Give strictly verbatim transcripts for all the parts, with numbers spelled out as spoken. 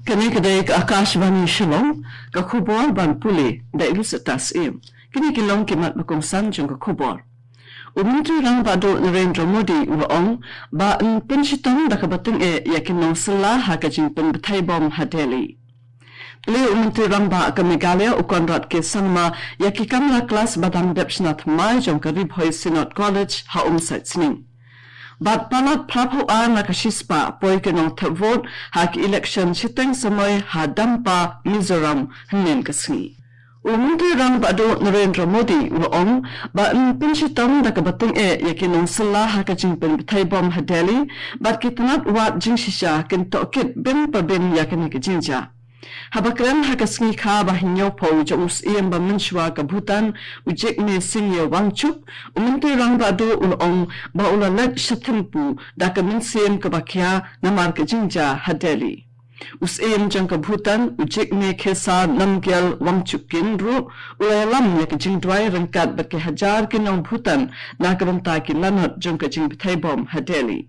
Kane ka dei ka Akashvani Shillong, ka khubor ban pule da i Lucetta Syiem. Kine ki long ki mat ba kongsan jong ka khubor. U Myntri Rangbah Duh Narendra Modi u la ong ba yn pynshitom da kaba tyngeh ïa ki nongsylla ha ka jingpynbthei bom ha Delhi. Plie u Myntri Rangbah ka Meghalaya u Conrad K Sangma ïa ki kamra klas ba dang dep shna thymmai jong ka Ri Bhoi Synod College ha Umsait Sning. Bad palat phra phew ar na ka shispah poi ki nongthep vote ha ki election shiteng samoi ha Dampa, Mizoram, hynnin ka sngi. U Myntri Rangbah Duh Narendra Modi u la ong ba yn pynshitom da kaba tyngeh ïa ki nongsylla ha ka jingpynbthei bom ha Delhi, bad ki tnat wad jingshisha kin tohkit bun pa bun ïa kane ka jingjia. Haba kren ha ka sngi kha ba hynñiewphew jong u Syiem ba mynshuwa ka Bhutan, u Jigme Singye Wangchuk, u Myntri Rangbah Duh u la ong ba u la leit sha Thimphu da ka mynsiem kaba khia namar ka jingjia ha Delhi. U Syiem jong ka Bhutan, u Jigme Khesar Namgyel Wangchukin ruh u la ïalam ïa ka jingduwai ryngkat bad ki hajar ki nong Bhutan na ka bynta ki lanot jong ka jingbthei bom ha Delhi.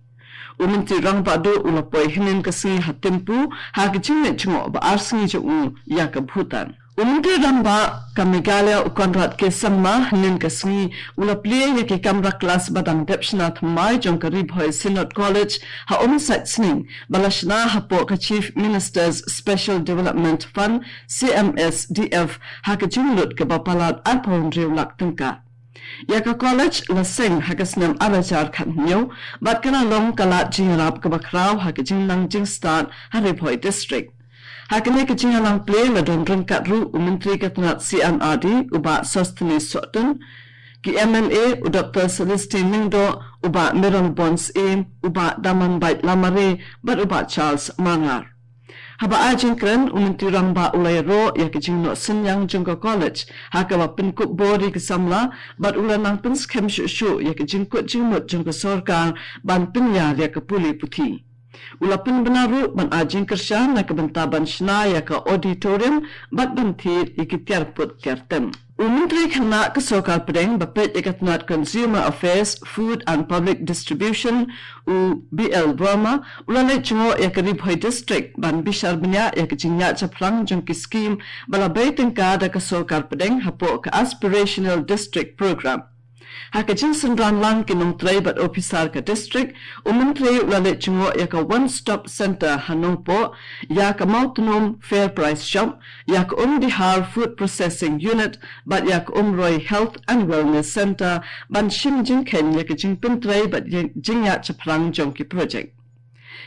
U Myntri Rangbah Duh u la poi hynnin ka sngi ha Thimphu ha ka jingleit jngoh ba ar sngi jong u ïa ka Bhutan. U Myntri Rangbah ka Meghalaya u Conrad K Sangma hynnin ka sngi u la plie ïa ki kamra klas ba dang dep shna thymmai jong ka Ri Bhoi Synod College ha Umsait Sning ba la shna hapoh ka Chief Minister's Special Development Fund, C M S D F, ha ka jinglut kaba palat arphew hynriew lak tyngka. Ïa ka college la seng ha ka snem ar hajar khathynñiew bad ka la long ka lad jingïarap kaba khraw ha ka jingnang jingstad ha Ri Bhoi District. Ha kane ka jingïalang plie la don ryngkat ruh u Myntri ka tnat C and R D u Bah Sosthenes Sohtun, ki M L A u Doktor Celestine Lyngdoh, u Bah Mayralborn Syiem, u Bah Damanbait Lamare bad u Bah Charles Marngar. Haba ai jingkren u Myntri Rangbah u la ïaroh ïa ka jingnoh synñiang jong ka college ha kaba pynkup bor ïa ki samla bad u la nang pynskhem shuh shuh ïa ka jingkut jingmut jong ka sorkar ban pynïar ïa ka pule puthi. U la pynbna ruh ban ai jingkyrshan na ka bynta ban shna ïa ka auditorium bad ban thied ïa ki tiar put tiar tem. U Myntri Khynnah ka Sorkar Pdeng ba peit ïa ka tnat Consumer Affairs, Food and Public Distribution, u B L Verma u la leit jngoh ïa ka Ri Bhoi District ban bishar bniah ïa ka jingïaid shaphrang jong ki skim ba la bei tyngka da ka Sorkar Pdeng hapoh ka Aspirational District Programme. Ha ka jingsynran lang ki nongtrei bad ophisar ka district, u Myntri u la leit jngoh ïa ka One Stop Centre ha Nongpoh, ïa ka Mawtnum Fair Price Shop, ïa ka Umdihar Food Processing Unit bad ïa ka Umroi Health and Wellness Centre ban shim jingkheiñ ïa ka jingpyntrei bad jing- jingïaid shaphrang jong ki projek.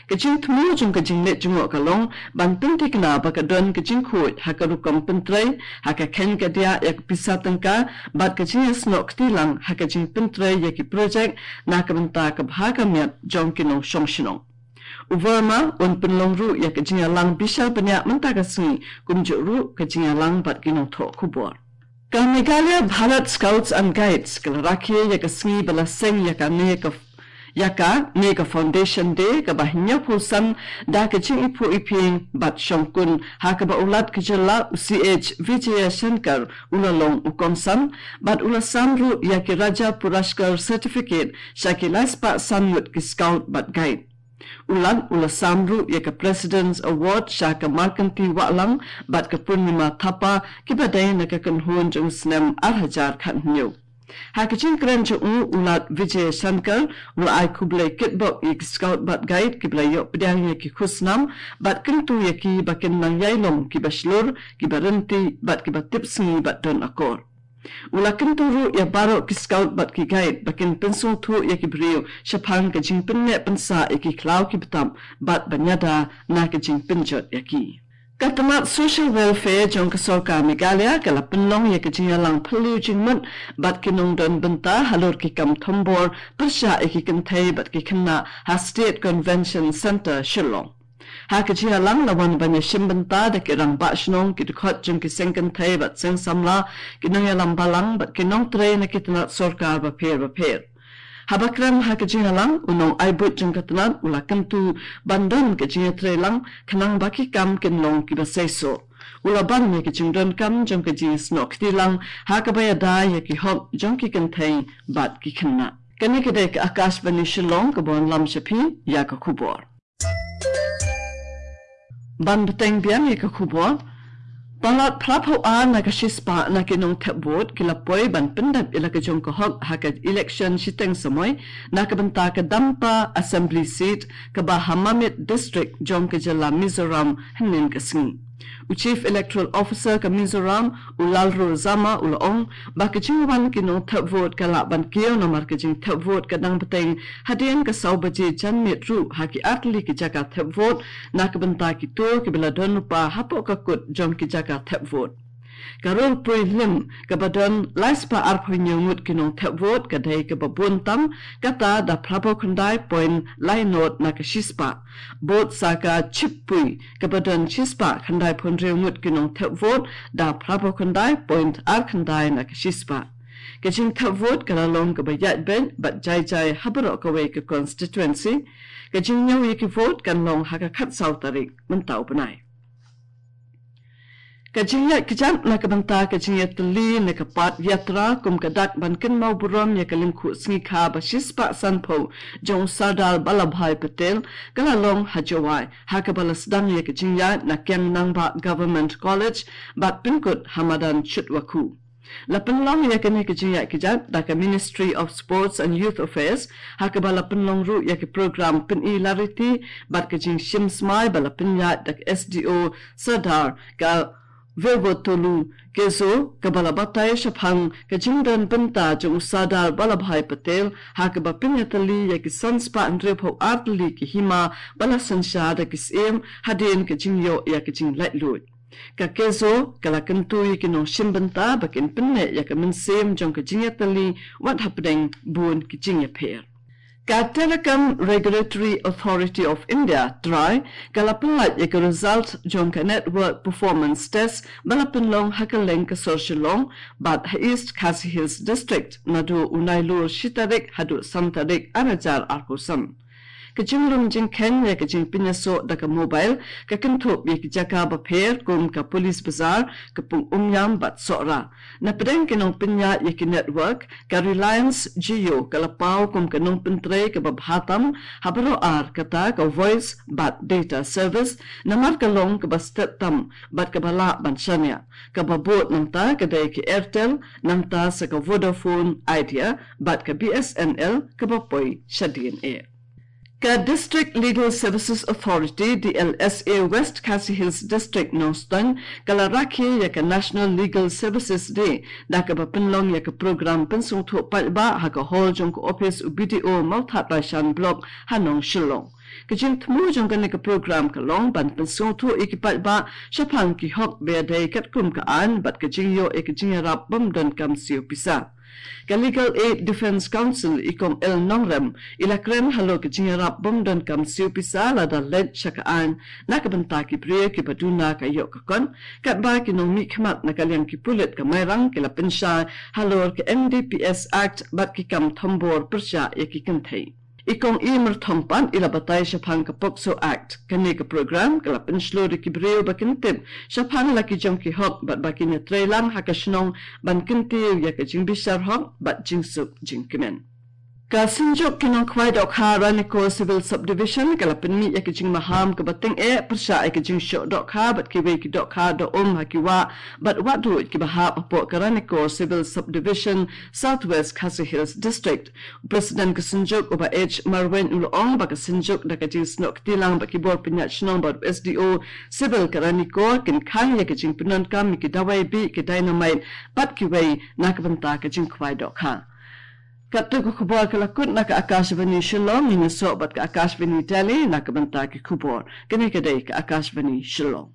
Ka jingthmu jong ka jingleit jngoh ka long ban pynthikna ba ka don ka jingkhuid ha ka rukom pyntrei, ha ka kheiñ ka diah ïa ka pisa tyngka bad ka jingïasnoh kti lang ha ka jingpyntrei ïa ki projek na ka bynta ka bha ka miat jong ki nongshong shnong. U Verma un pynlong ruh ïa ka jingïalang bishar bniah mynta ka sngi, kumjuh ruh ka jingïalang bad ki nongthoh khubor. Ka Meghalaya Bharat Scouts and Guides ka la rakhe ïa ka sngi ba la seng ïa kane ka ïa kane ka Foundation Day kaba hynñiewphew san da ka jingiphuh iphieng bad shongkun, ha kaba u Lat ka jylla u C H Vijayashankar u la long u kongsan bad u la sam ruh ïa ki Raja Puraskar Certificate sha ki laispah san ngut ki Scout bad Guide. U Lat u la sam ruh ïa ka President's Award sha ka Markanti Wahlang bad ka Purnima Thapa, kiba dei na ka kynhun jong u snem ar hajar khathynñiew. Ha ka jingkren jong u, u Lat Vijayashankar u la ai khublei kitbok ïa ki Scout bad Guide kiba la ïoh pdiang ïa ki khusnam bad kyntu ïa ki ba kin nang ïai long kiba shlur, kiba ryntih bad kiba tip sngi bad don akor. U la kyntu ruh ïa baroh ki Scout bad ki Guide ba kin pynsngewthuh ïa ki briew shaphang ka jingpynneh pynsah ïa ki khlaw ki btap bad ban ïada na ka jingpynjot ïa ki. Ka tnat Social Welfare jong ka Sorkar Meghalaya ka la pynlong ïa ka jingïalang phylliew jingmut bad ki nongdon bynta halor ki kam thombor pyrshah ïa ki kynthei bad ki khynnah ha State Convention Centre, Shillong. Ha ka jingïalang la wan ban ïashim bynta da ki rangbah shnong, ki dkhot jong ki seng kynthei bad seng samla, ki nongïalam balang bad ki nongtrei na ki tnat sorkar bapher bapher. Haba kren ha ka jingïalang, u nongai buit jong ka tnat u la kyntu ban don ka jingïatreilang khnang ba ki kam kin long kiba seisoh. U la ban ïa ka jingdonkam jong ka jingïasnoh kti lang ha kaba ïada ïa ki hok jong ki kynthei bad ki khynnah. Kane ka dei ka Akashvani Shillong kaba wanlam sha phi ïa ka khubor. Ban bteng biang ïa ka khubor. Palat phra phew ar na ka shispah na ki nongthep vote ki la poi ban pyndep ïa la ka jong ka hok ha ka election shiteng samoi na ka bynta ka Dampa Assembly Seat kaba ha Mamit District jong ka jylla Mizoram hynnin ka sngi. U Chief Electoral Officer ka Mizoram, u Lalro Zama, u la ong ba ka jingwan ki nongthep vote ka lah ban kiew namar ka jingthep vote ka dang bteng hadien ka saw baje janmiet ruh ha ki artylli ki jaka thep vote na ka bynta kito kiba la don lypa hapoh ka kut jong ki jaka thep vote. Ka rung prelim kaba don lai spah arphew hynñiew ngut ki nongthep vote ka dei kaba bun tam, kata da phra phew khyndai point lai nod na ka shispah. Bud sa ka chip pui kaba don shispah khyndai phew hynriew ngut ki nongthep vote da phra phew khyndai point ar khyndai na ka shispah. Ka jingthep vote ka la long kaba ïaid beit bad jai jai ha baroh kawei ka constituency. Ka jingñiew ïa ki vote kan long ha ka khatsaw tarik mynta u bnai. Ka jingïaid kjat na ka bynta ka jingïatylli na ka Pad Yatra kum ka dak ban kynmaw burom ïa ka lyngkhuh sngi kha ba shispah sanphew jong u Sardar Vallabhbhai Patel ka la long ha Jowai, ha kaba la sdang ïa ka jingïaid na Kiang Nangbah Government College bad pynkut ha madan Chutwakhu. La pynlong ïa kane ka jingïaid kjat da ka Ministry of Sports and Youth Affairs, ha kaba la pynlong ruh ïa ka program pyni lariti bad ka jingshim smai ba la pynïaid da ka S D O Sardar ka Vevotolu Kezo, kaba la batai shaphang ka jingdon bynta jong u Sardar Vallabhbhai Patel, ha kaba pynïatylli ïa ki san spah hynriew phew ar tylli ki hima ba la synshar da ki syiem hadien ka jingïoh ïa ka jinglaitluid. Ka Kezo ka la kyntu ïa ki nongshim bynta ba kin pynneh ïa ka mynsiem jong ka jingïatylli wat hapdeng bun ki jingïapher. Ka Telecom Regulatory Authority of India, TRAI, ka la pynlait ïa ka result jong ka Network Performance Test ba la pynlong ha kylleng ka sor Shillong bad ha East Khasi Hills District naduh u Nailur shi tarik haduh san tarik ar hajar arphew san. Ka jinglum jingkheiñ ïa ka jingpynïasoh da ka mobile ka kynthup ïa ki jaka bapher kum ka Police Bazar, ka Pung Umïam bad Sohra. Na pdeng ki nongpynïaid ïa ki network, ka Reliance Jio ka la paw kum ka nongpyntrei kaba bha tam ha baroh ar kata ka voice bad data service, namar ka long kaba stet tam bad kaba lah ban shaniah. Kaba bud nangta ka dei ka Airtel, nangta sa ka Vodafone Idea bad ka B S N L kaba poi sha D N A. Ka District Legal Services Authority, D L S A, West Khasi Hills District, Nongstoiñ, ka la rakhe ïa ka National Legal Services Day da kaba pynlong ïa ka program pynsngewthuh paidbah ha ka hall jong ka ophis u B D O Mawthadraishan Block ha Nongshillong. Ka jingthmu jong kane ka program ka long ban pynsngewthuh ïa ki paidbah shaphang ki hok ba ïadei katkum ka aiñ bad ka jingïoh ïa ka jingïarap bym donkam siew pisa. Ka Legal Aid Defence Counsel i Kong L Nongrem i la kren halor ka jingïarap bym donkam siew pisa lada leit sha ka aiñ na ka bynta ki briew kiba duna ka ïoh ka kot, katba ki nongmihkhmat na ka liang ki pulit ka Mairang ki la pynshai halor ka N D P S Act bad ki kam thombor pyrshah ïa ki kynthei. I Kong E Myrthong pat i la batai shaphang ka POCSO Act. Kane ka program ka la pynshlur ïa ki briew ba kin tip shaphang la ki jong ki hok bad ba kin ïatreilang ha ka shnong ban kyntiew ïa ka jingbishar hok bad jingsuk jingkmen. Ka Synjuk ki Nongkhwai Dohkha Ranikor Civil Subdivision ka la pynmih ïa ka jingmaham kaba tyngeh pyrshah ïa ka jingshoh dohkha bad kiwei ki dohkha doh um ha ki wah bad wahduid kiba hap hapoh ka Ranikor Civil Subdivision, South West Khasi Hills District. U President ka Synjuk u Bah H Marwein u la ong ba ka Synjuk da ka jingsnoh kti lang bad ki bor pynïaid shnong bad u S D O Civil ka Ranikor kin khang ïa ka jingpyndonkam ïa ki dawai bih, ki dynamite bad kiwei na ka bynta ka jingkhwai dohkha. Katto ka khubor ka la kut na ka Akashvani Shillong, ngin ïasoh bad ka Akashvani Delhi na ka bynta ki khubor. Kane ka dei ka Akashvani Shillong.